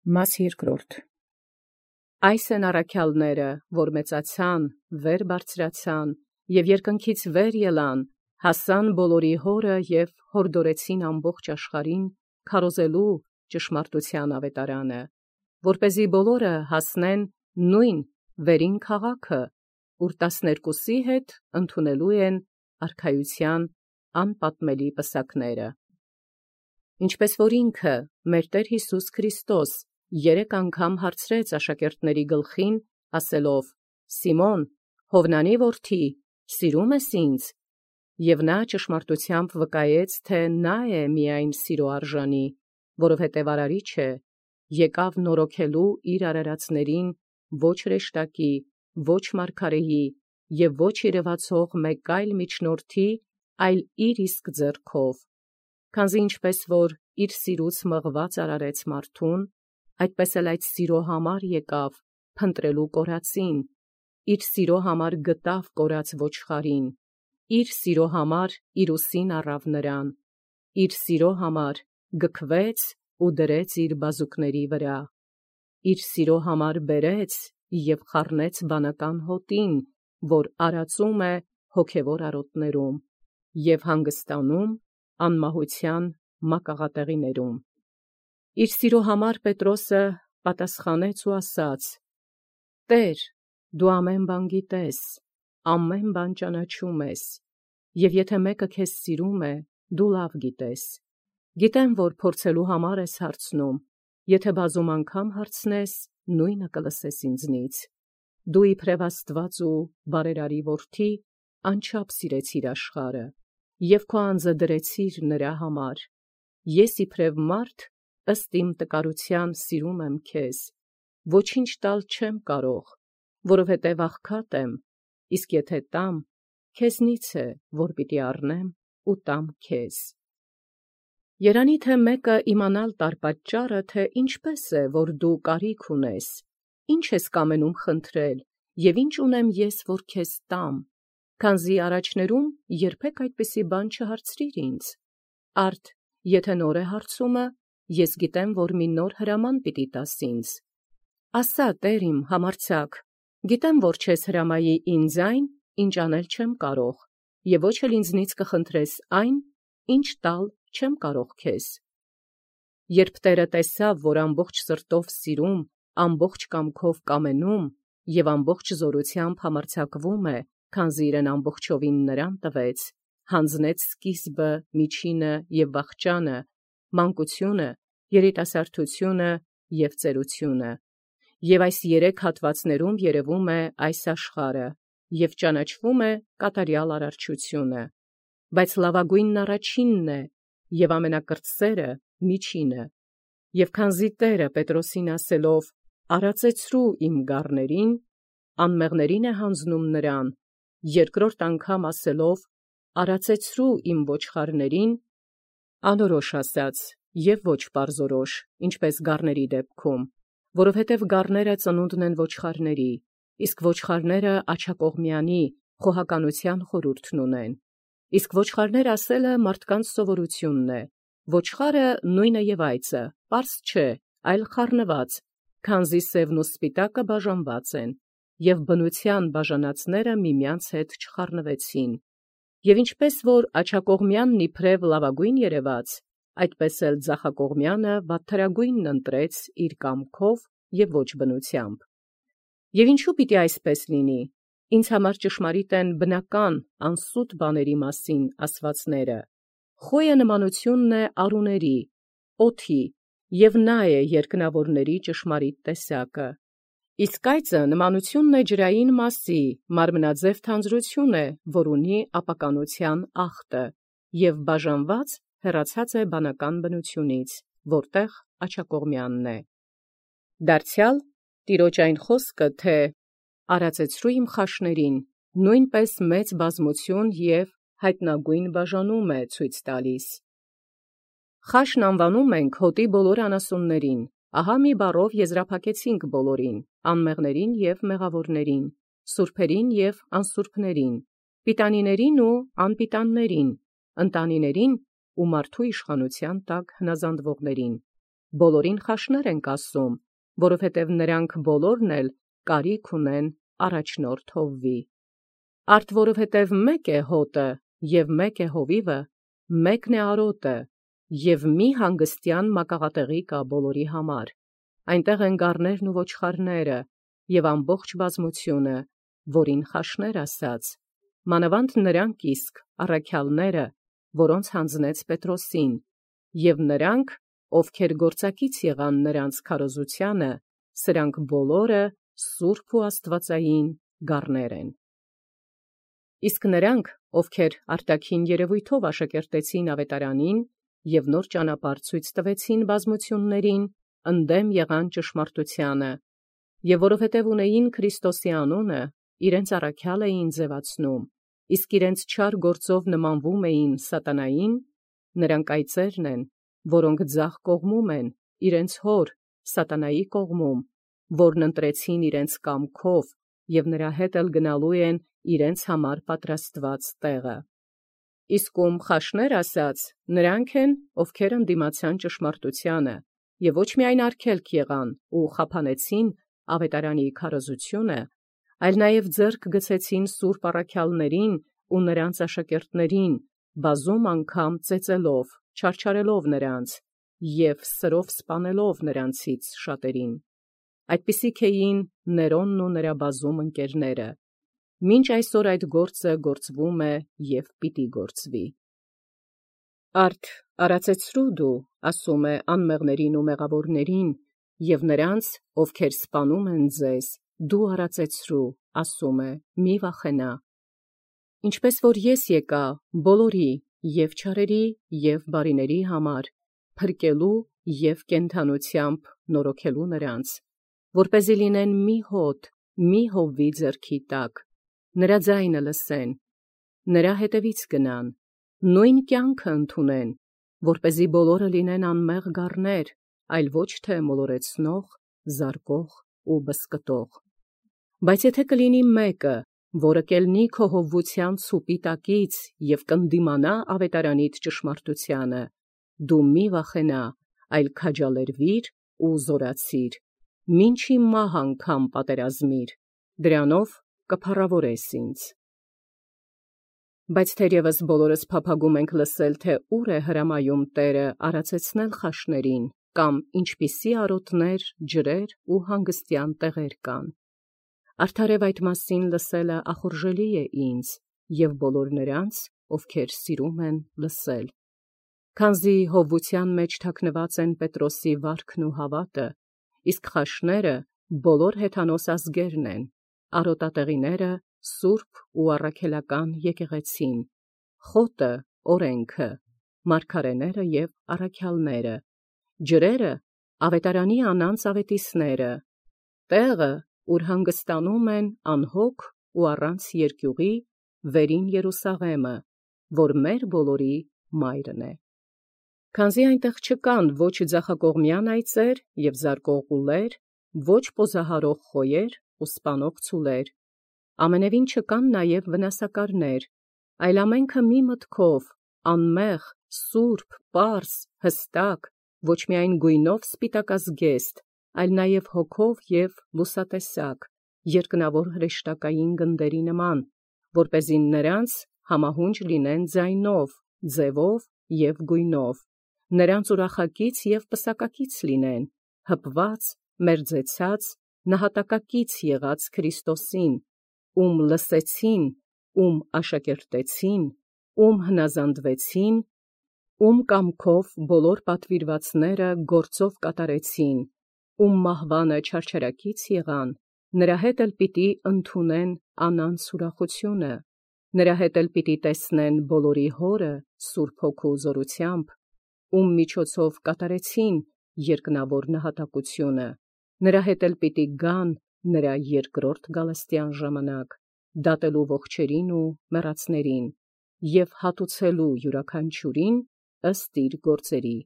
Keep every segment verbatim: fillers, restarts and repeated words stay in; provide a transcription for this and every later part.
Մաս երկրորդ. Այս են առաքյալները, որ մեծացան, վեր բարձրացան, և երկնքից վեր ելան, հասան բոլորի հորը և հորդորեցին ամբողջ աշխարհին, քարոզելու ճշմարտութեան աւետարանը, որպեսզի բոլորը հասնեն նույն վերին քաղաքը, ուր տասներկուսի հետ ընդունելու են արքայութեան անպատմելի պսակները. ինչպես որ ինքը մեր Տէր Յիսուս Քրիստոս երեք անգամ հարցրեց աշակերտացն գլխին, ասելով. «Սիմոն, Յովնանի որդի, սիրո՞ւմ ես ինձ»։ Եւ նա ճշմարտութեամբ վկայեց, թէ նա է միայն սիրո արժանի, որովհետև արարիչ է, եկաւ նորոգելու իր արարածներին ոչ հրեշտակի, ոչ մարգարեի և ոչ երևացող մեկ այլ միջնորդի, այլ իր իսկ ձեռքով. քանզի ինչպես որ իր սիրուց մղված արարեց մարդուն, այդպես էլ այդ սիրո համար եկաւ փնտրելու կորածին, իր սիրո համար գտավ կորած ոչխարին, իր սիրո համար իր ուսին առավ նրան, իր սիրո համար գքվեց ու դրեց իր բազուկների վրա, իր սիրո համար բերեց և խառնեց բանական հոտին, որ արածում է հոգևոր արոտներում և հանգստանում անմահութեան մակաղատեղիներում։ Իր սիրո համար Պետրոսը պատասխանեց ու ասաց. «Տէր, դու ամեն բան գիտես, ամեն բան ճանաչում ես, և եթէ մեկը քեզ սիրում է, դու լավ գիտես. գիտեմ, որ փորձելու համար ես հարցնում, եթէ բազում անգամ հարցնես, նույնը կլսես ինձնից։ Դու իբրև Աստուած ու բարերարի որդի անչափ սիրեցիր աշխարհը, և քո անձը դրեցիր նրա համար. ես իբրև մարդ ըստ իմ տկարութեան սիրում եմ քեզ, ոչինչ տալ չեմ կարող, որովհետև աղքատ եմ, իսկ եթե տամ, քեզնից է, որ պիտի առնեմ ու տամ քեզ»։ Երանի թե մեկը իմանալ տար պատճառը, թե ինչպէս է, որ դու կարիք ունես, ի՞նչ ես կամենում խնդրել, և ի՞նչ ունեմ ես, որ քեզ տամ, քանզի առաջներում երբեք այդպիսի բան չհարցրիր ինձ. արդ եթէ նոր է հարցումը, ես գիտեմ, որ մի նոր հրաման պիտի տաս ինձ։ ասա, Տէր իմ համարձակ, գիտեմ, որ չես հրամայի ինձ այն, ինչ անել չեմ կարող, և ոչ էլ ինձնից կխնդրես այն, ինչ տալ չեմ կարող քեզ։ Երբ Տէրը տեսաւ, որ ամբողջ սրտով սիրում, ամբողջ կամքով կամենում և ամբողջ զօրութեամբ համարձակվում է, քանզի իրեն ամբողջովին նրան տվեց, յանձնեց սկիզբը, միջինը և վախճանը, մանկությունը, երիտասարդությունը և ծերությունը։ Եւ այս երեք հատվածներում երևում է այս աշխարհը, և ճանաչվում է կատարյալ արարչությունը, բայց լավագոյնն առաջինն է, և ամենակրտսերը միջինը։ Եւ քանզի Տէրը Պետրոսին ասելով. «Արածեցրու իմ գառներին», անմեղներին է յանձնում նրան, երկրորդ անգամ ասելով. «Արածեցրու իմ ոչխարներին», անորոշ ասաց և ոչ պարզորոշ, ինչպես գառների դեպքում, որովհետև գառները ծնունդն են ոչխարների, իսկ ոչխարները աջակողմյանի խոհականութեան խորհուրդն ունեն, իսկ ոչխարներ ասելը մարդկանց սովորութիւնն է, ոչխարը նույնը և այծը, պարզ չէ, այլ խառնված, քանզի սևն ու սպիտակը բաժանված են, և բնութեան բաժանածները միմյանց հետ չխառնվեցին։ Եւ ինչպես որ աջակողմյանն իբրև լավագոյն երևաց, այդպես էլ ձախակողմյանը վատթարագոյնն ընտրեց իր կամքով և ոչ բնութեամբ։ Եւ ինչու պիտի այսպես լինի։ Ինձ համար ճշմարիտ են բնական անսուտ բաների մասին ասացվածները. խոյը նմանութիւնն է արուների, օդի, և նա է երկնաւորների ճշմարիտ տեսակը։ Իսկ այծը նմանութիւնն է ջրային մասի, մարմնաձև թանձրութիւն է, որ ունի ապականութեան ախտը, և բաժանված հեռացած է բանական բնութիւնից, որտեղ աջակողմյանն է։ Դարձեալ Տեառն այն խոսքը, թէ «Արածեցրու իմ խաշներին», նոյնպէս մեծ բազմութիւն և յայտնագոյն բաժանում է ցույց տալիս։ Խաշն անուանում ենք հոտի բոլոր անասուններին, ահա մի բառով եզրափակեցինք բոլորին, անմեղներին և մեղաւորներին, սուրբերին և անսուրբերին, պիտանիներին ու անպիտաններին, ընտանիներին ու մարդու իշխանութեան տակ հնազանդվողներին, բոլորին խաշներ ենք ասում, որովհետև նրանք բոլորն էլ կարիք ունեն առաջնորդ հովվի։ Արդ որովհետև մեկ է հոտը և մեկ է հովիվը, մեկն է արոտը, և մի հանգստյան մակաղատեղի կա բոլորի համար։ Այնտեղ են գառներն ու ոչխարները, և ամբողջ բազմությունը, որին խաշներ ասաց, մանավանդ նրանք իսկ առաքյալները, որոնց հանձնեց Պետրոսին, և նրանք, ովքեր գործակից եղան նրանց քարոզությանը, սրանք բոլորը սուրբ ու աստվածային գառներ են։ Իսկ նրանք, ովքեր արտաքին երևույթով աշակերտեցին ավետարանին և նոր ճանապարհ ցույց տվեցին բազմություններին, ընդդեմ եղան ճշմարտությանը, և որովհետև ունեին Քրիստոսի անունը, իրենց առաքյալ էին ձևացնում, իսկ իրենց չար գործով նմանվում էին սատանային, նրանք այծերն են, որոնք ձախ կողմում են, իրենց հոր սատանայի կողմում, որն ընտրեցին իրենց կամքով և նրա հետ էլ գնալու են իրենց համար պատրաստված տեղը։ Իսկ ում խաշներ ասաց, նրանք են, ովքեր ընդդիմացան ճշմարտությանը, և ոչ միայն արգելք եղան ու խափանեցին ավետարանի քարոզությունը, այլ նաև ձեռք գցեցին սուրբ առաքյալներին ու նրանց աշակերտներին, բազում անգամ ծեծելով, չարչարելով նրանց և սրով սպանելով նրանցից շատերին։ Այդպիսիք էին Ներոնն ու նրա բազում ընկերները։ Մինչ այսօր այդ գործը գործվում է և պիտի գործվի։ Արդ արածեցրու դու, ասում է անմեղներին ու մեղավորներին, և նրանց, ովքեր սպանում են ձեզ, դու արածեցրու, ասում է, մի վախենա։ Ինչպես որ ես եկա բոլորի, և չարերի, և բարիների համար, փրկելու և կենդանությամբ նորոգելու նրանց, որպեսզի լինեն մի հոտ, մի հովվի ձեռքի տակ, նրա ձայնը լսեն, նրա հետևից գնան, նույն կյանքը ընդունեն, որպեսզի բոլորը լինեն անմեղ գառներ, այլ ոչ թե մոլորեցնող, զարկող ու բզկտող։ Բայց եթե կլինի մեկը, որը կելնի քո հովվության ցուպի տակից և կնդիմանա ավետարանիդ ճշմարտությանը, դու մի վախենա, այլ քաջալերվիր ու զորացիր, մինչի մահ անգամ պատերազմիր, դրանով կփառավորես ինձ։ Բայց թերևս բոլորս փափագում ենք լսել, թե ուր է հրամայում Տերը արածեցնել խաշներին, կամ ինչպիսի արոտներ, ջրեր ու հանգստյան տեղեր կան։ Արդարև այդ մասին լսելը ախորժելի է ինձ և բոլոր նրանց, ովքեր սիրում են լսել։ Քանզի հովվության մեջ թաքնված են Պետրոսի վարքն ու հավատը, իսկ խաշները բոլոր հեթանոս ազգերն են, արոտատեղիները սուրբ ու առաքելական եկեղեցին, խոտը օրենքը, մարգարեները և առաքյալները, ջրերը ավետարանի անանց ավետիսները, տեղը, ուր հանգստանում են անհոգ ու առանց երկյուղի, վերին Երուսաղեմը, որ մեր բոլորի մայրն է։ Քանզի այնտեղ չկան ոչ ձախակողմյան այծեր և զարկող ուլեր, ոչ պոզահարող խոյեր ու սպանող ցուլեր, ամենևին չկան նաև վնասակարներ, այլ ամենքը մի մտքով, անմեղ, սուրբ, պարզ, հստակ, ոչ միայն գույնով սպիտակազգեստ, այլ նաև հոգով և լուսատեսակ, երկնավոր հրեշտակային գնդերի նման, որպեսզի նրանց համահունչ լինեն ձայնով, ձևով և գույնով, նրանց ուրախակից և պսակակից լինեն, հպված, մերձեցած, նահատակակից եղած Քրիստոսին, ում լսեցին, ում աշակերտեցին, ում հնազանդվեցին, ում կամքով բոլոր պատվիրվածները գործով կատարեցին, ում մահվանը չարչարակից եղան, նրա հետ էլ պիտի ընդունեն անանց ուրախությունը, նրա հետ էլ պիտի տեսնեն բոլորի Հորը Սուրբ Հոգու զորությամբ, ում միջոցով կատարեցին երկնավոր նահատակությունը, նրա հետ էլ պիտի գան նրա երկրորդ գալստյան ժամանակ, դատելու ողջերին ու մեռածներին և հատուցելու յուրաքանչյուրին ըստ իր գործերի,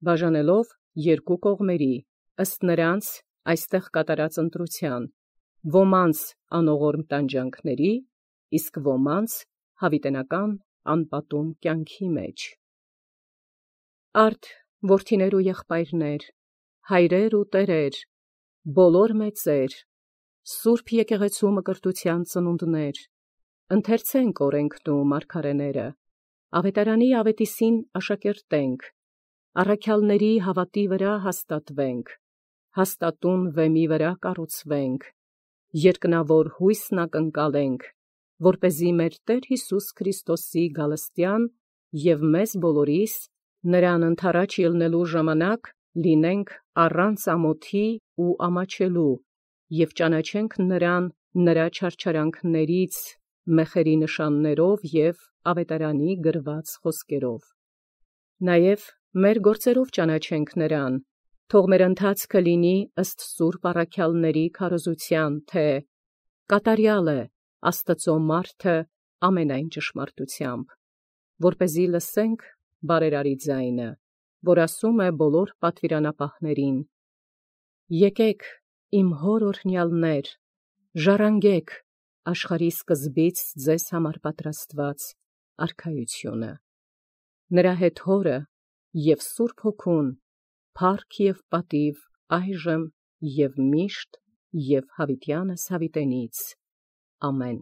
բաժանելով երկու կողմերի, ըստ նրանց այստեղ կատարած ընտրության, ոմանց անողորմ տանջանքների, իսկ ոմանց հավիտենական անպատում կյանքի մեջ։ Արդ որդիներ ու եղբայրներ, հայրեր ու տերեր, բոլոր մեծեր, Սուրբ եկեղեցու մկրտության ծնունդներ, ընթերցենք օրենքն ու մարգարեները, ավետարանի ավետիսին աշակերտենք, առաքյալների հավատի վրա հաստատվենք, հաստատուն վեմի վրա կառուցվենք, երկնավոր հույսն ակնկալենք, որպեսզի մեր Տեր Հիսուս Քրիստոսի գալստյան և մեզ բոլորիս նրան ընթառաջ ելնելու ժամանակ լինենք առանց ամոթի ու ամաչելու և ճանաչենք նրան նրա չարչարանքներից մեխերի նշաններով և ավետարանի գրված խոսքերով։ Նաև մեր գործերով ճանաչենք նրան, թող մեր ընթացքը լինի ըստ սուրբ առաքյալների քարոզության, թե կատարյալ է Աստծո մարդը ամենայն ճշմարտությամբ, որպեսզի լսենք բարերարի ձայնը, որ ասում է բոլոր պատվիրանապահներին. «Եկեք, իմ հոր օրհնյալներ, ժառանգեք աշխարհի սկզբից ձեզ համար պատրաստված արքայությունը»։ Նրա հետ Հորը և Սուրբ Հոգուն փառք և պատիվ այժմ և միշտ և հավիտյանս հավիտենից։ Ամեն։